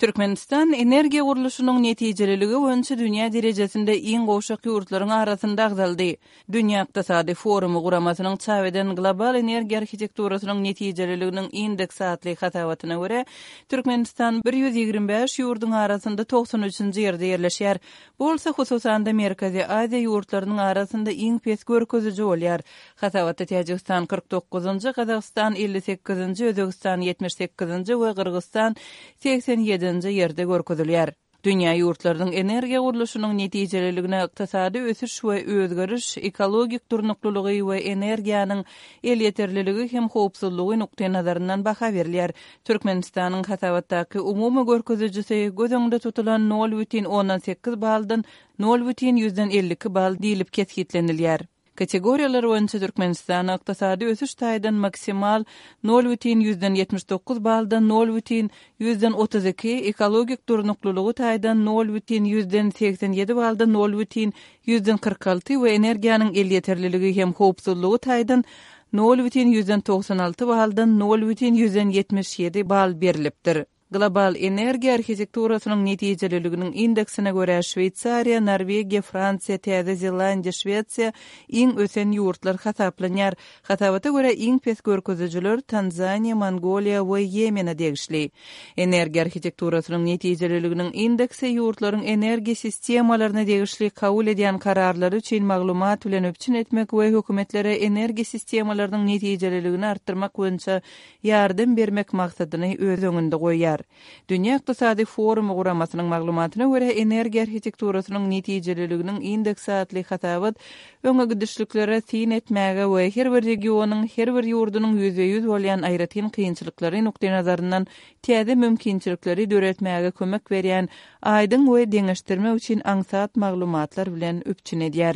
Türkmenistan energiýa gurluşynyň netijeliligi boýunça dünýä derejesinde iň gowşak ýurtlaryň arasynda agzaldy. Dünýä ykdysady forumy guramasynyň çap eden Global energiýa arhitekturasynyň netijeliliginiň indeksi atly hasabatyna görä, Türkmenistan 125 ýurduň arasynda 93-nji ýerde ýerleşýär. Bu bolsa, hususan-da, Merkezi Aziýa ýurtlarynyň arasynda iň pes görkeziji bolýar. Hasabatda Täjigistan 49-njy, Gazagystan 58-nji, Özbegistan 78-nji we Gyrgyzystan 87-nji ýerde görkezilýär. Dünýä ýurtlarynyň energiýa gurluşynyň netijeliligine ykdysady ösüş we özgeriş, ekologik durnuklylygy we energiýanyň elýeterliligi hem howpsuzlygy nukdaýnazaryndan baha berilýär. Türkmenistanyň hasabatdaky umumy görkezijisi göz öňünde tutulan 0,8 baldan 0,52 bal diýlip kesgitlenilýär. Kategoriýalar boýunça Türkmenistana ykdysady ösüş taýdan maksimal 0,79 baldan 0,32, ekologik durnuklylygy taýdan 0,87 baldan 0,46 we energiýanyň elýeterliligi hem howpsuzlygy taýdan 0,96 baldan 0,77 bal berlipdir. Global energiýa arhitekturasynyň netijeliliginiň indeksine görä, Şweýsariýa, Norwegiýa, Fransiýa, Täze Zelandiýa, Şwesiýa iň ösen ýurtlar hasaplanýar. Hasabata görä, iň pes görkezijiler Tanzaniýa, Mongoliýa we Ýemene degişli. Energiýa arhitekturasynyň netijeliliginiň indeksi ýurtlaryň energiýa sistemalaryna degişli kabul edýän kararlary üçin maglumat bilen üpjün etmek we hökümetlere energiýa sistemalarynyň netijeliligini artdyrmak boýunça ýardam bermek maksadyny öz öňünde goýýar. Dünýä ykdysady forumy guramasynyň maglumatyna görä, energiýa arhitekturasynyň netijeliliginiň indeksi atly hasabat öňe gidişliklere syn etmäge we her bir regionyň, her bir ýurdunyň ýüzbe-ýüz bolýan aýratyn kynçylyklary nukdaýnazaryndan täze mümkinçilikleri döretmäge kömek berýän aýdyň we deňeşdirmek üçin aňsat maglumatlar bilen üpjün edýär.